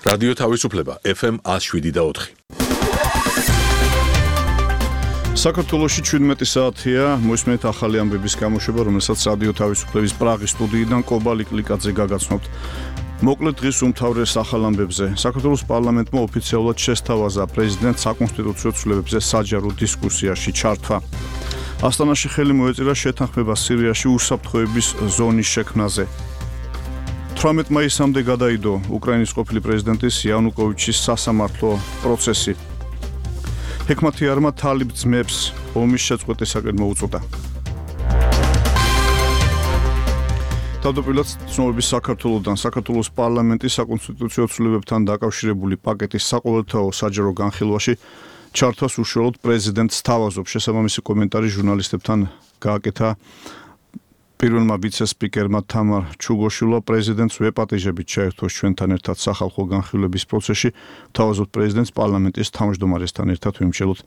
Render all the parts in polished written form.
რადიო თავისუფლება FM 107.4. საქართველოში 17 საათია, მოისმენთ ახალი ამბების გამოშვება, რომელსაც რადიო თავისუფლების პრაღის სტუდიიდან კობალიკ ლიკაძე გაგაცნობთ. მოკლედ დღის უმთავრეს ახალ ამბებზე. საქართველოს პარლამენტმა ოფიციალურად შესთავაზა პრეზიდენტს საკონსტიტუციო ცვლილებებზე საჯარო დისკუსიაში ჩართვა. ასტანაში ხელი მოეწირა შეთანხმება სირიაში უსაფრთხოების ზონის შექმნაზე. 18 მაისამდე გადაიდო უკრაინის ყოფილი პრეზიდენტის იანუკოვიჩის სასამართლო პროცესი. ჰექმათიარმა თალიბ ძმებს ომის შეწყვეტისაკენ მოუწოდა. თავდაპირველად ცნობების საქართველოსთან საქართველოს პარლამენტის საკონსტიტუციო ცვლილებებთან დაკავშირებული პაკეტის საყოველთაო საჯარო განხილვაში ჩართვას უშუალოდ პრეზიდენტს სთავაზობს. შესაბამისი კომენტარი ჟურნალისტებთან გააკეთა პირველმა ვიცე-სპიკერმა თამარ ჩუგოშვილმა. პრეზიდენტს ვეპატიჟებით ჩაერთვეს ჩვენთან ერთად სახალხო განხილვების პროცესში. თავაზობთ პრეზიდენტს პარლამენტის თავმჯდომარესთან ერთად ვიმსჯელოთ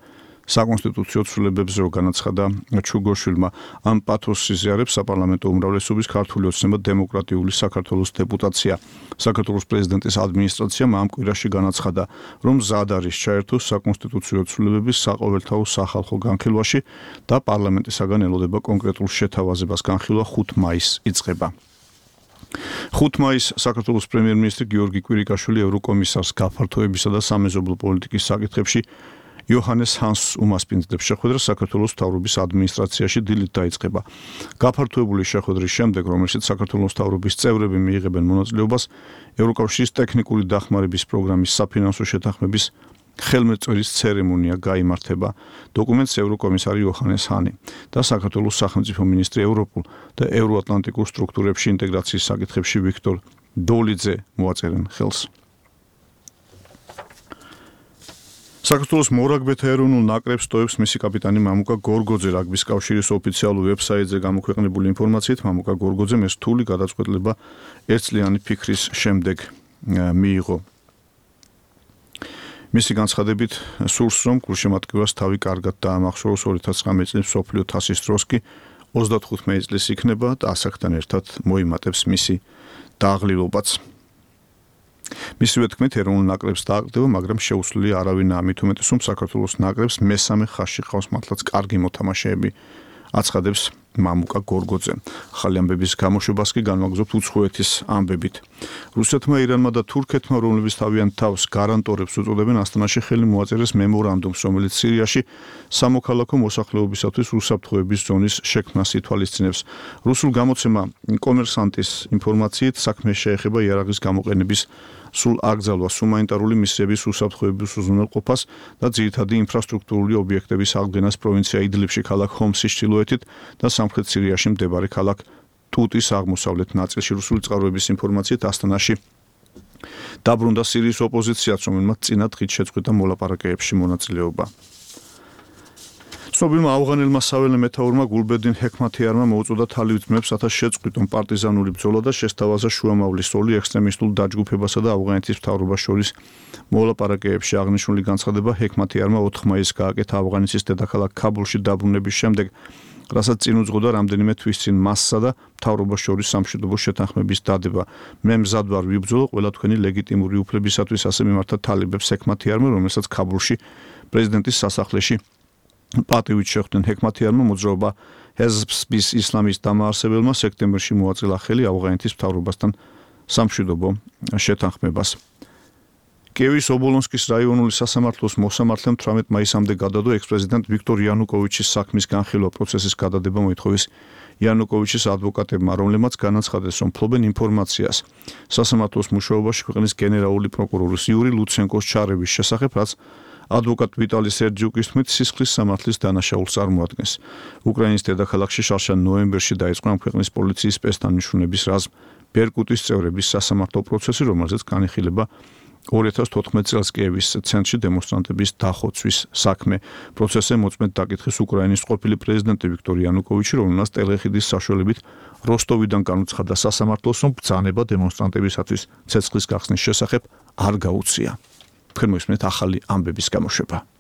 საკონსტიტუციო ცვლილებებზე, რო განაცხადა ჩუგოშვილმა. ამ პათოსს იზიარებს საპარლამენტო უმრავლესობის ქართული ოცნება დემოკრატიული საქართველოს დეპუტაცია. საქართველოს პრეზიდენტის ადმინისტრაციამ ამ კვირაში განაცხადა, რომ მზად არის ჩაერთოს საკონსტიტუციო ცვლილებების საყოველთაო სახალხო განხილვაში და პარლამენტისაგან ელოდება კონკრეტულ შეთავაზებას. განხილვა 5 მაისს იწყება. 5 მაისს საქართველოს პრემიერ-მინისტრი გიორგი კვირიკაშვილი ევროკომისარს გაფართოებისა და სამეზობლო პოლიტიკის საკითხებში იოჰანეს ჰანსს უმასპინძლებს. შეხვედრა საქართველოს მთავრობის ადმინისტრაციაში დილით დაიწყება. გაფართოებული შეხვედრის შემდეგ, რომელშიც საქართველოს მთავრობის წევრები მიიღებენ მონაწილეობას ევროკავშირის ტექნიკური დახმარების პროგრამის საფინანსო შეთანხმების ხელმეწვერის ცერემონია გაიმართება. დოკუმენტს ევროკომისარი იოჰანეს ჰანი და საქართველოს სახელმწიფო მინისტრი ევროპულ და ევროატლანტიკურ სტრუქტურებში ინტეგრაციის საკითხებში ვიქტორ დოლიძე მოაწერენ ხელს. საქართველოს მორაგბეთა ეროვნულ ნაკრებს ტოვებს მისი კაპიტანი მამუკა გორგოძე. რაგბის კავშირის ოფიციალურ ვებსაიტზე გამოქვეყნებული ინფორმაციით, მამუკა გორგოძემ ეს რთული გადაწყვეტილება ერთწლიანი ფიქრის შემდეგ მიიღო. მისი განცხადებით სურს, რომ გულშემატკივარს თავი კარგად დაამახსოვროს 2019 წლის მსოფლიო თასის დროს კი 35 წლის იქნება და ასაკთან ერთად მოიმატებს მისი დააღლილობაც. მისივე თქმით, ეროვნულ ნაკრებს დააკრდება, მაგრამ შეუცვლელი არავინაა. მით უმეტეს, რომ საქართველოს ნაკრებს მესამე ხაზში ყავს მართლაც კარგი მოთამაშეები, აცხადებს მამუკა გორგოძე. ახალი ამბების გამოშვებას კი განვაგრძობთ უცხოეთის ამბებით. რუსეთმა, ირანმა და თურქეთმა, რომლებიც თავიანთ თავს გარანტორებს უწოდებენ, ასტანაში ხელი მოაწერეს მემორანდუმს, რომელიც სირიაში სამოქალაქო მოსახლეობისათვის უსაფრთხოების ზონის შექმნას ითვალისწინებს. რუსულ გამოცემა კომერსანტის ინფორმაციით საქმე შეეხება იარაღის გამოყენების სულ აკრძალვას, ჰუმანიტარული მისიების უსაფრთხოების უზრუნველყოფას და ძირითადი ინფრასტრუქტურული ობიექტების აღდგენას პროვინცია იდლიბში, ქალაქ ჰომსის ჩრდილოეთით და სამხრეთ სირიაში მდებარე ქალაქ ტუტის აღმოსავლეთ ნაწილში. რუსული წყაროების ინფორმაციით ასტანაში დაბრუნდა სირიის ოპოზიციაც, რომელმაც წინა დღით შეწყვიტა მოლაპარაკებებში მონაწილეობა. ცნობილმა ავღანელმა საველე მეთაურმა გულბედინ ჰექმათიარმა მოუწოდა თალიბ ძმებს, რათა შეწყვიტონ პარტიზანული ბრძოლა და შესთავაზა შუამავლის როლი ექსტრემისტულ დაჯგუფებასა და ავღანეთის მთავრობას შორის მოლაპარაკებებში. აღნიშნული განცხადება ჰექმათიარმა 4 მაისს გააკეთა ავღანეთის დედაქალაქ ქაბულში დაბრუნების შემდეგ, რასაც წინ უძღოდა რამდენიმე თვის წინ მასსა და მთავრობას შორის სამშვიდობო შეთანხმების დადება. მე მზად ვარ ვიბრძოლო ყველა თქვენი ლეგიტიმური უფლებისათვის, ასე მიმართა თალიბებს ჰექმათიარმა, რომელსაც ქაბულში პრეზიდენტის სასახლეში პატივით შეხვდნენ. ჰექმათიარმა მოძრაობა ჰეზბის ისლამის დამაარსებელმა სექტემბერში მოაწილა ხელი ავღანეთის მთავრობასთან სამშვიდობო შეთანხმებას. კიევის ობოლონსკის რაიონული სასამართლოს მოსამართლემ 18 მაისამდე გადადო ექს-პრეზიდენტ ვიქტორ იანუკოვიჩის საქმის განხილვა პროცესის გადადება მოითხოვეს იანუკოვიჩის ადვოკატებმა, რომლებმაც განაცხადეს, რომ ფლობენ ინფორმაციას სასამართლოს მუშაობაში ქვეყნის გენერალური პროკურორის იური ლუცენკოს ჩარევის შესახებ, რაც ადვოკატ ვიტალი სერჯიუკის თქმით სისხლის სამართლის დანაშაულს წარმოადგენს. უკრაინის დედაქალაქში შარშან ნოემბერში დაიწყო ამ ქვეყნის პოლიციის სპეცდანიშნულების რაზმ ბერკუტის წევრების სასამართლო პროცესი, რომელზეც განიხილება 2014 წელს კიევის ცენტრში დემონსტრანტების დახოცვის საქმე. პროცესზე მოწმედ დაკითხეს უკრაინის ყოფილი პრეზიდენტი ვიქტორ იანუკოვიჩი, რომელმაც ტელეხიდის საშუალებით როსტოვიდან განუცხადა სასამართლოს, რომ ბრძანება დემონსტრანტებისათვის ცეცხლის გახსნის შესახებ არ გაუწია. თქვენ მოისმენთ ახალი ამბების გამოშვება.